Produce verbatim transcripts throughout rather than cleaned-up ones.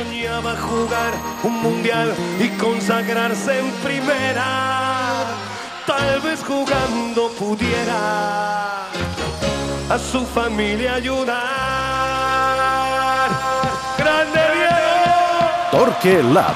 soñaba jugar un mundial y consagrarse en primera. Tal vez jugando pudiera a su familia ayudar. ¡Grande Diego! Torque Lab.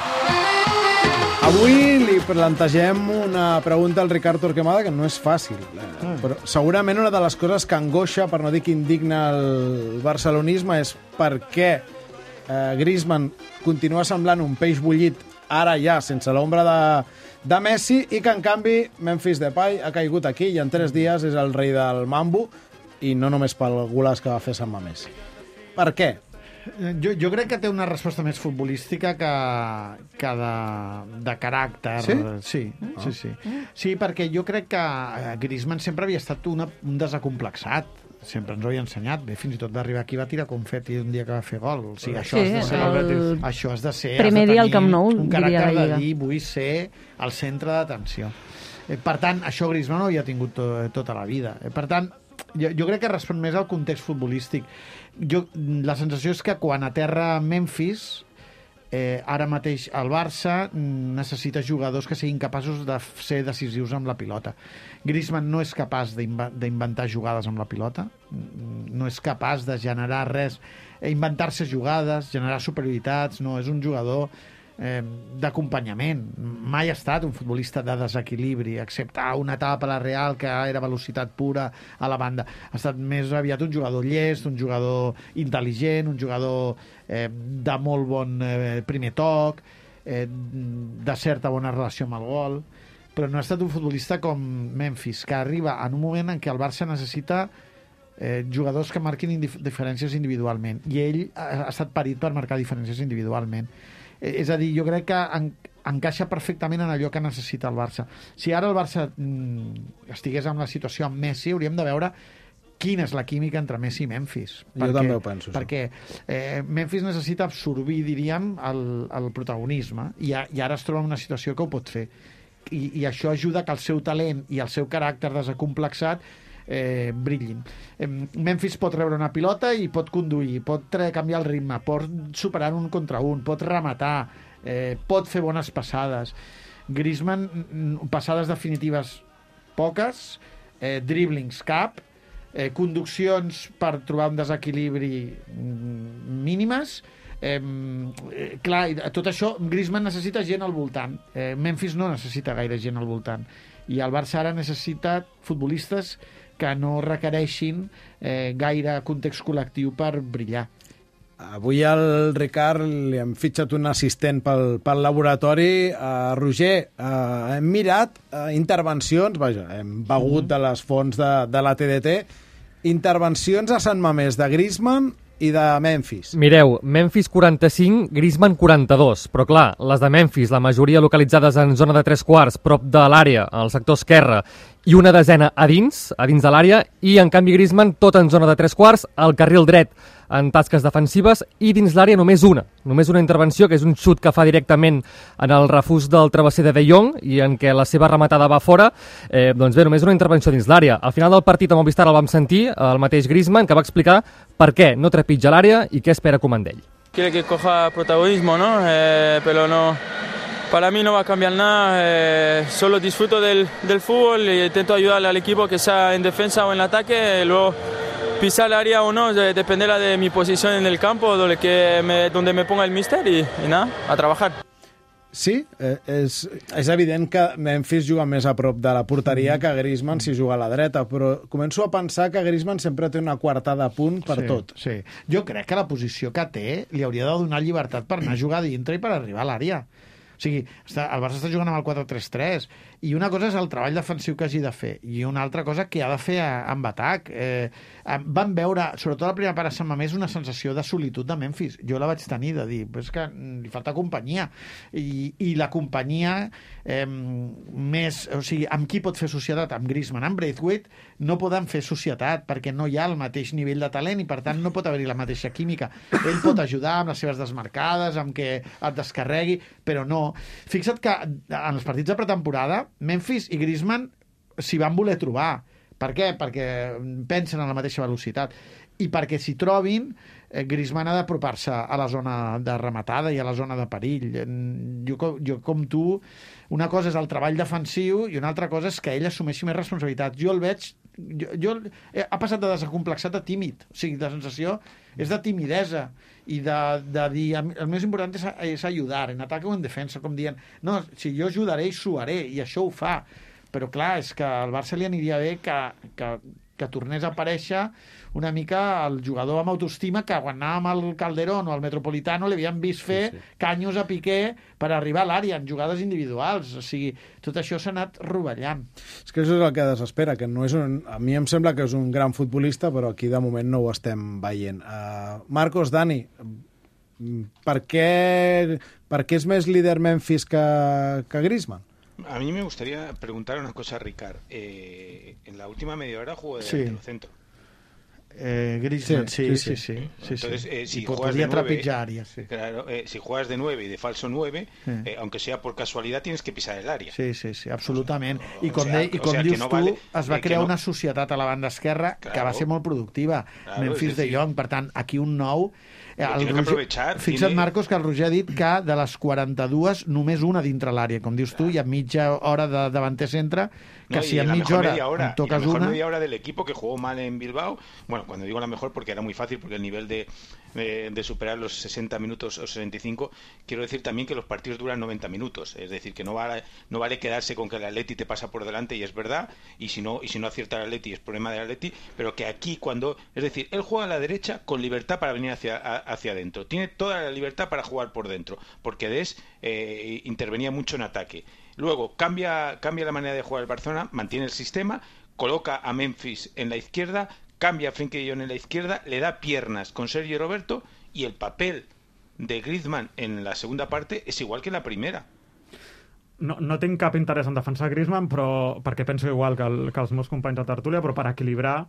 Avui li plantegem una pregunta al Ricard Torquemada que no és fàcil, mm. però segurament una de les coses que angoixa, per no dir que indigna el barcelonisme, és per què eh, Griezmann continua semblant un peix bullit ara ja, sense l'ombra de, de Messi, i que en canvi Memphis Depay ha caigut aquí i en tres dies és el rei del mambo, i no només pel golaç que va fer Sant Mamés. Per què? Jo, jo crec que té una resposta més futbolística que, que de, de caràcter. Sí? Sí, oh. sí, sí. Sí, perquè jo crec que Griezmann sempre havia estat una, un desacomplexat. Sempre ens ho havia ensenyat. Bé, fins i tot d'arribar aquí va tirar confeti un dia que va fer gol. O sigui, això, sí, has de ser, el... això has de ser... Primer has de dia al Camp Nou, un diria caràcter la de Lliga. dir, vull ser el centre d'atenció. Eh, per tant, això Griezmann no havia tingut to, tota la vida. Eh, per tant, jo, jo crec que respon més al context futbolístic. Jo, la sensació és que quan aterra Memphis, eh, ara mateix el Barça necessita jugadors que siguin capaços de ser decisius amb la pilota. Griezmann no és capaç d'inventar jugades amb la pilota, no és capaç de generar res, inventar-se jugades, generar superioritats, no, és un jugador eh, d'acompanyament. Mai ha estat un futbolista de desequilibri, excepte una etapa a la Real que era velocitat pura a la banda. Ha estat més aviat un jugador llest, un jugador intel·ligent, un jugador eh, de molt bon eh, primer toc, eh, de certa bona relació amb el gol, però no ha estat un futbolista com Memphis, que arriba en un moment en què el Barça necessita eh, jugadors que marquin indif diferències individualment, i ell ha, ha estat parit per marcar diferències individualment. És a dir, jo crec que en, encaixa perfectament en allò que necessita el Barça. Si ara el Barça mm, estigués en la situació amb Messi, hauríem de veure quina és la química entre Messi i Memphis. Jo perquè, també ho penso. Perquè eh, Memphis necessita absorbir, diríem, el, el protagonisme, i, a, i ara es troba en una situació que ho pot fer. I, i això ajuda que el seu talent i el seu caràcter desacomplexat eh, brillin. Eh, Memphis pot rebre una pilota i pot conduir, pot canviar el ritme, pot superar un contra un, pot rematar, eh, pot fer bones passades. Griezmann, passades definitives poques, eh, dribblings cap, eh, conduccions per trobar un desequilibri mínimes. Eh, eh, clar, tot això Griezmann necessita gent al voltant, eh, Memphis no necessita gaire gent al voltant, i el Barça ara necessita futbolistes que no requereixin eh, gaire context col·lectiu per brillar. Avui al Ricard li hem fitxat un assistent pel, pel laboratori. Uh, Roger, uh, hem mirat uh, intervencions, vaja, hem begut de les fonts de, de la T D T, intervencions a Sant Mamés de Griezmann i de Memphis. Mireu, Memphis quaranta-cinc, Griezmann quaranta-dos, però clar, les de Memphis, la majoria localitzades en zona de tres quarts, prop de l'àrea, al sector esquerre, i una desena a dins, a dins de l'àrea, i en canvi Griezmann tot en zona de tres quarts, al carril dret, en tasques defensives, i dins l'àrea només una, només una intervenció, que és un xut que fa directament en el refús del travesser de De Jong, i en què la seva rematada va fora. Eh, doncs bé, només una intervenció dins l'àrea. Al final del partit a Movistar el vam sentir, el mateix Griezmann, que va explicar per què no trepitja l'àrea i què espera comandar ell. Quiere que coja protagonismo, ¿no? Eh, pero no... Para mí no va a cambiar nada, eh, solo disfruto del, del fútbol y intento ayudarle al equipo, que sea en defensa o en ataque, luego pisar el área o no, dependerá de mi posición en el campo, donde, que me, donde me ponga el míster y, y nada, a trabajar. Sí, eh, és, és evident que Memphis juga més a prop de la porteria que Griezmann si juga a la dreta, però començo a pensar que Griezmann sempre té una quartada a punt per sí, tot. Sí. Jo crec que la posició que té li hauria de donar llibertat per anar a jugar dintre i per arribar a l'àrea. O sigui, està, el Barça està jugant amb el quatre tres tres, i una cosa és el treball defensiu que hagi de fer, i una altra cosa que ha de fer amb atac. Eh, van veure, sobretot la primera part a Sant Mamés, una sensació de solitud de Memphis. Jo la vaig tenir, de dir, però és que li falta companyia, i, i la companyia eh, més, o sigui, amb qui pot fer societat? Amb Griezmann. Amb Braithwaite no poden fer societat, perquè no hi ha el mateix nivell de talent, i per tant no pot haver-hi la mateixa química. Ell pot ajudar amb les seves desmarcades, amb que et descarregui, però no. Fixa't que en els partits de pretemporada Memphis i Griezmann s'hi van voler trobar. Per què? Perquè pensen en la mateixa velocitat, i perquè s'hi trobin eh, Griezmann ha d'apropar-se a la zona de rematada i a la zona de perill. Jo, jo, com tu, una cosa és el treball defensiu i una altra cosa és que ell assumeixi més responsabilitat. Jo el veig... Jo, jo, ha passat de desacomplexat a tímid. O sigui, la sensació és de timidesa i de, de dir, el més important és, és ajudar, en atac o en defensa, com dient, no, si jo ajudaré i suaré, i això ho fa. Però clar, és que al Barça li aniria bé que, que, que tornés a aparèixer una mica el jugador amb autoestima que quan anàvem al Calderón o al Metropolitano l'havíem vist fer sí, sí. canyos a Piqué per arribar a l'àrea en jugades individuals. O sigui, tot això s'ha anat rovellant. És que això és el que desespera, que no és un... a mi em sembla que és un gran futbolista, però aquí de moment no ho estem veient. Uh, Marcos, Dani, per què, per què és més líder Memphis que, que Griezmann? A mí me gustaría preguntar una cosa a Ricard. Eh, en la última media hora jugó de sí. delantero centro. Eh, Griezmann, sí, sí, sí. sí, sí, sí Entonces, sí. Eh, si, y juegas de nueve, área, sí. claro, eh, si juegas de nueve y de falso nueve, sí. eh, aunque sea por casualidad, tienes que pisar el área. Sí, sí, sí, absolutament. I com, o sea, de, i com o sea, dius no tu, vale, es va eh, crear no... una societat a la banda esquerra claro. que va ser molt productiva. Claro, Memphis de Jong, per tant, aquí un nou... El Roger, fixa't, tiene... Marcos, que el Roger ha dit que de les quaranta-dues només una dintre l'àrea, com dius tu, hi ha mitja hora de davanter centre, que no, si en mitja hora, hora en toques una... la mejor una... media hora del equipo que jugó mal en Bilbao, bueno, cuando digo la mejor porque era muy fácil, porque el nivel de, de, de superar los sesenta minutos o sesenta y cinco, quiero decir también que los partidos duran noventa minutos, es decir, que no vale, no vale quedarse con que el Atleti te pasa por delante y es verdad, y si no, y si no acierta el Atleti es problema del Atleti, pero que aquí cuando, es decir, él juega a la derecha con libertad para venir hacia, a, hacia adentro, tiene toda la libertad para jugar por dentro, porque Des eh, intervenía mucho en ataque. Luego cambia, cambia la manera de jugar el Barcelona, mantiene el sistema, coloca a Memphis en la izquierda, cambia a Frenkie de Jong en la izquierda, le da piernas con Sergio Roberto y el papel de Griezmann en la segunda parte és igual que en la primera. No, no tinc cap interès en defensar Griezmann, però perquè penso igual que, el, que els meus companys de tertúlia, però per equilibrar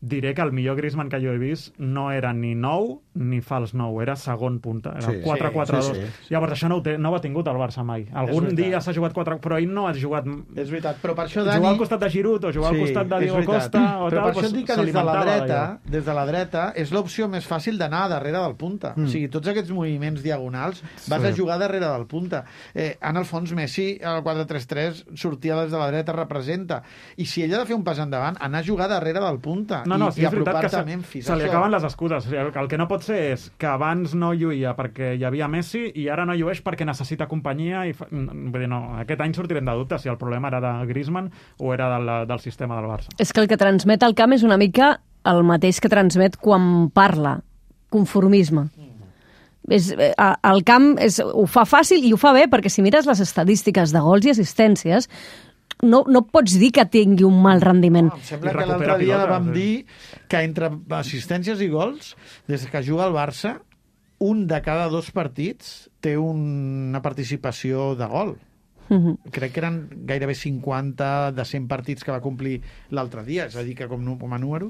diré que el millor Griezmann que jo he vist no era ni nou ni fals nou, era segon punta, era sí, quatre quatre dos. Sí, sí, sí. Llavors això no ho, té, no ho ha tingut el Barça mai. Algun dia s'ha jugat quatre, però ell no ha jugat... És veritat, però per això, Dani... Jugar al costat de Giroud o jugar sí, al costat de Diego Costa o però tal, per això pues, dic que des de la dreta, des de la dreta és l'opció més fàcil d'anar darrere del punta. Mm. O sigui, tots aquests moviments diagonals vas sí. a jugar darrere del punta. Eh, en el fons, Messi, al quatre tres tres, sortia des de la dreta, representa. I si ell ha de fer un pas endavant, anar a jugar darrere del punta no, no, i, sí, i apropar-te se, a Memphis. Se li acaben les excuses. El, el que no pot ser és que abans no lluïa perquè hi havia Messi i ara no llueix perquè necessita companyia. I fa... Vull dir, no, aquest any sortirem de dubte si el problema era de Griezmann o era del, del sistema del Barça. És que el que transmet al camp és una mica el mateix que transmet quan parla. Conformisme. És, el camp és, ho fa fàcil i ho fa bé perquè si mires les estadístiques de gols i assistències no, no pots dir que tingui un mal rendiment. No, em sembla que l'altre dia pilota, vam sí. dir que entre assistències i gols, des que juga al Barça, un de cada dos partits té una participació de gol. Uh-huh. Crec que eren gairebé cinquanta de cent partits que va complir l'altre dia, és a dir, que com, com a números...